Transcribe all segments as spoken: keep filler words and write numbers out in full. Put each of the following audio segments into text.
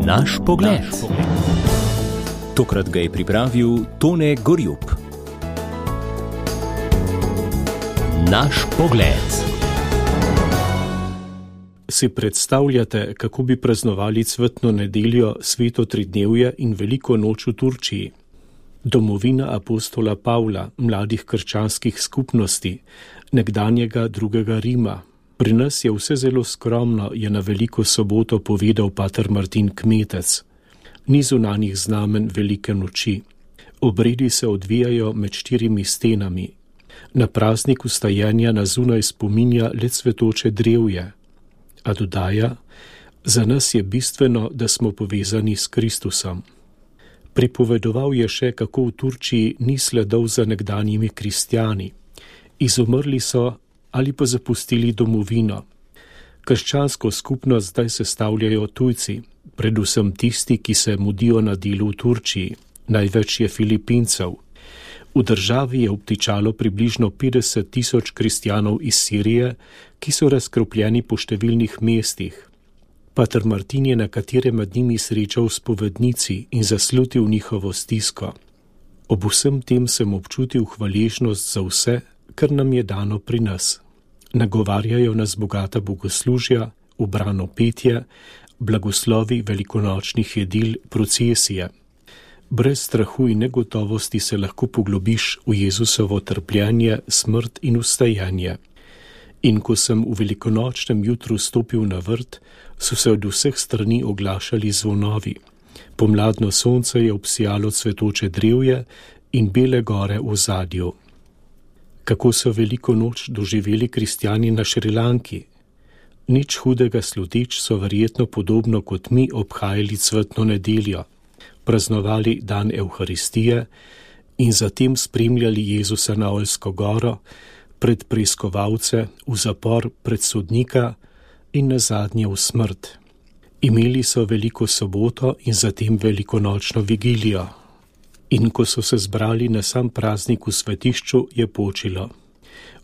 Naš pogled. Tokrat ga je pripravil Tone Gorjup. Naš pogled. Si predstavljate, kako bi praznovali cvetno nedeljo, sveto tridnevje in veliko noč v Turčiji? Domovina apostola Pavla, mladih krščanskih skupnosti, nekdanjega drugega Rima. Pri nas je vse zelo skromno, je na veliko soboto povedal pater Martin Kmetec. Ni zunanjih znamen velike noči. Obredi se odvijajo med štirimi stenami. Na praznik vstajenja na zunaj spominja le cvetoče drevje. A dodaja, za nas je bistveno, da smo povezani s Kristusom. Pripovedoval je še, kako v Turčiji ni sledov za nekdanjimi kristjani. Izumrli so ali pa zapustili domovino. Krščansko skupnost zdaj sestavljajo tujci, predvsem tisti, ki se mudijo na delu v Turčiji. Največ je Filipincev. V državi je obtičalo približno petdeset tisoč kristjanov iz Sirije, ki so razkropljeni po številnih mestih. Pater Martin je nekatere med njimi srečal spovednici in zaslutil njihovo stisko. Ob vsem tem sem občutil hvaležnost za vse, kar nam je dano pri nas. Nagovarjajo nas bogata bogoslužja, ubrano petje, blagoslovi velikonočnih jedil, procesije. Brez strahu in negotovosti se lahko poglobiš v Jezusovo trpljenje, smrt in vstajenje. In ko sem v velikonočnem jutru stopil na vrt, so se od vseh strani oglašali zvonovi. Pomladno sonce je obsijalo cvetoče drevje in bele gore v ozadju. Kako so veliko noč doživeli kristjani na Šrilanki? Nič hudega sluteč so verjetno podobno kot mi obhajali cvetno nedeljo, praznovali dan Evharistije in zatem spremljali Jezusa na Oljsko goro, pred preiskovalce, v zapor, pred sodnika in nazadnje v smrt. Imeli so veliko soboto in zatem velikonočno vigilijo. In ko so se zbrali na sam praznik v svetišču, je počilo.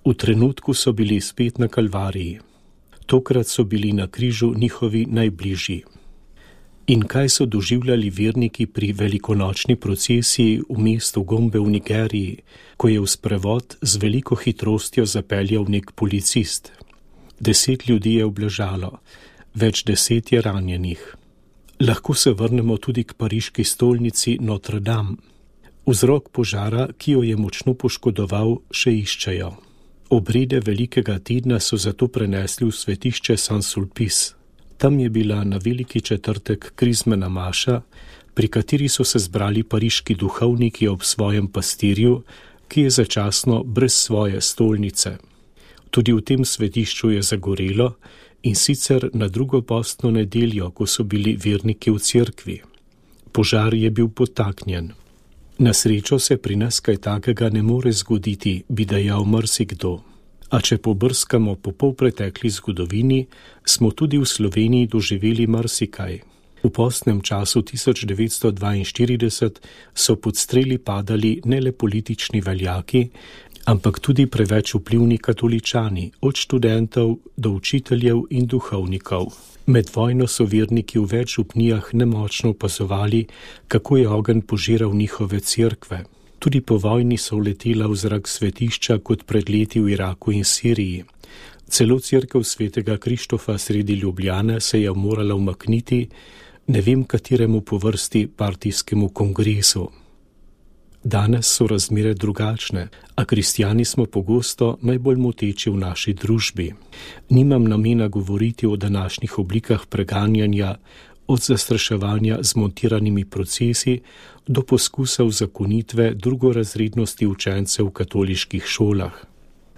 V trenutku so bili spet na Kalvariji. Tokrat so bili na križu njihovi najbližji. In kaj so doživljali verniki pri velikonočni procesiji v mestu Gombe v Nigeriji, ko je v sprevod z veliko hitrostjo zapeljal nek policist? Deset ljudi je obležalo, več deset je ranjenih. Lahko se vrnemo tudi k pariški stolnici Notre Dame. Vzrok požara, ki jo je močno poškodoval, še iščejo. Obrede velikega tedna so zato prenesli v svetišče Saint-Sulpice. Tam je bila na veliki četrtek krizmena maša, pri kateri so se zbrali pariški duhovniki ob svojem pastirju, ki je začasno brez svoje stolnice. Tudi v tem svetišču je zagorelo, in sicer na drugo postno nedeljo, ko so bili verniki v cerkvi. Požar je bil podtaknjen. Na srečo se pri nas kaj takega ne more zgoditi, bi dejal marsikdo. A če pobrskamo po polpretekli zgodovini, smo tudi v Sloveniji doživeli marsikaj. V postnem času tisoč devetsto dvainštirideset so pod streli padali ne le politični veljaki, ampak tudi preveč vplivni katoličani, od študentov do učiteljev in duhovnikov. Med vojno so verniki v več župnijah nemočno opazovali, kako je ogenj požiral njihove cerkve. Tudi po vojni so letela v zrak svetišča kot pred leti v Iraku in Siriji. Celo cerkev svetega Krištofa sredi Ljubljane se je morala umakniti, ne vem kateremu po vrsti partijskemu kongresu. Danes so razmere drugačne, a kristjani smo pogosto najbolj moteči v naši družbi. Nimam namena govoriti o današnjih oblikah preganjanja, od zastraševanja z montiranimi procesi do poskusa uzakonitve drugorazrednosti učencev v katoliških šolah.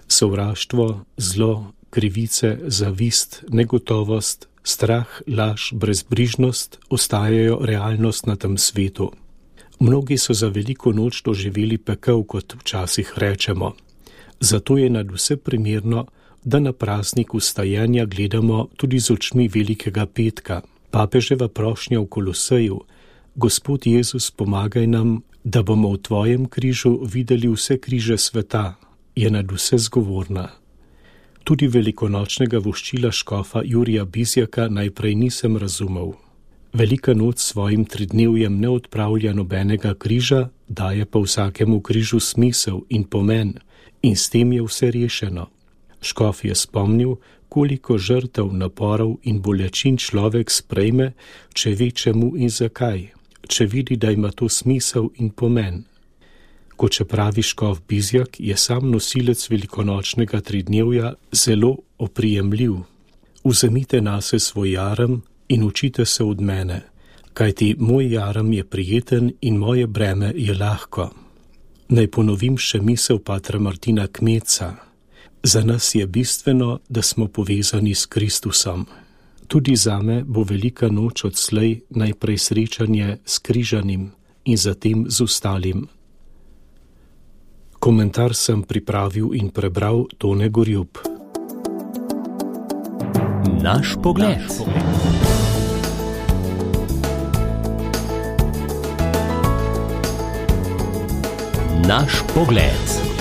Sovraštvo, zlo, krivice, zavist, negotovost, strah, laž, brezbrižnost ostajajo realnost na tem svetu. Mnogi so za veliko noč doživeli pekel, kot včasih rečemo. Zato je nadvse primerno, da na praznik vstajenja gledamo tudi z očmi velikega petka. Papeževa prošnja v Koloseju: Gospod Jezus, pomagaj nam, da bomo v tvojem križu videli vse križe sveta, je nadvse zgovorna. Tudi velikonočnega voščila škofa Jurija Bizjaka najprej nisem razumel. Velika noč s svojim tridnevjem ne odpravlja nobenega križa, daje pa vsakemu križu smisel in pomen, in s tem je vse rešeno. Škof je spomnil, koliko žrtev, naporov in bolečin človek sprejme, če ve čemu in zakaj, če vidi, da ima to smisel in pomen. Kot če pravi škof Bizjak, je sam nosilec velikonočnega tridnevja zelo oprijemljiv. Vzemite nase svoj jarem in učite se od mene, kajti moj jarem je prijeten in moje breme je lahko. Naj ponovim še misel patra Martina Kmetca. Za nas je bistveno, da smo povezani s Kristusom. Tudi zame bo velika noč odslej najprej srečanje s križanim in zatem z ostalim. Komentar sem pripravil in prebral Tone Gorjup. Naš pogled. Naš pogled.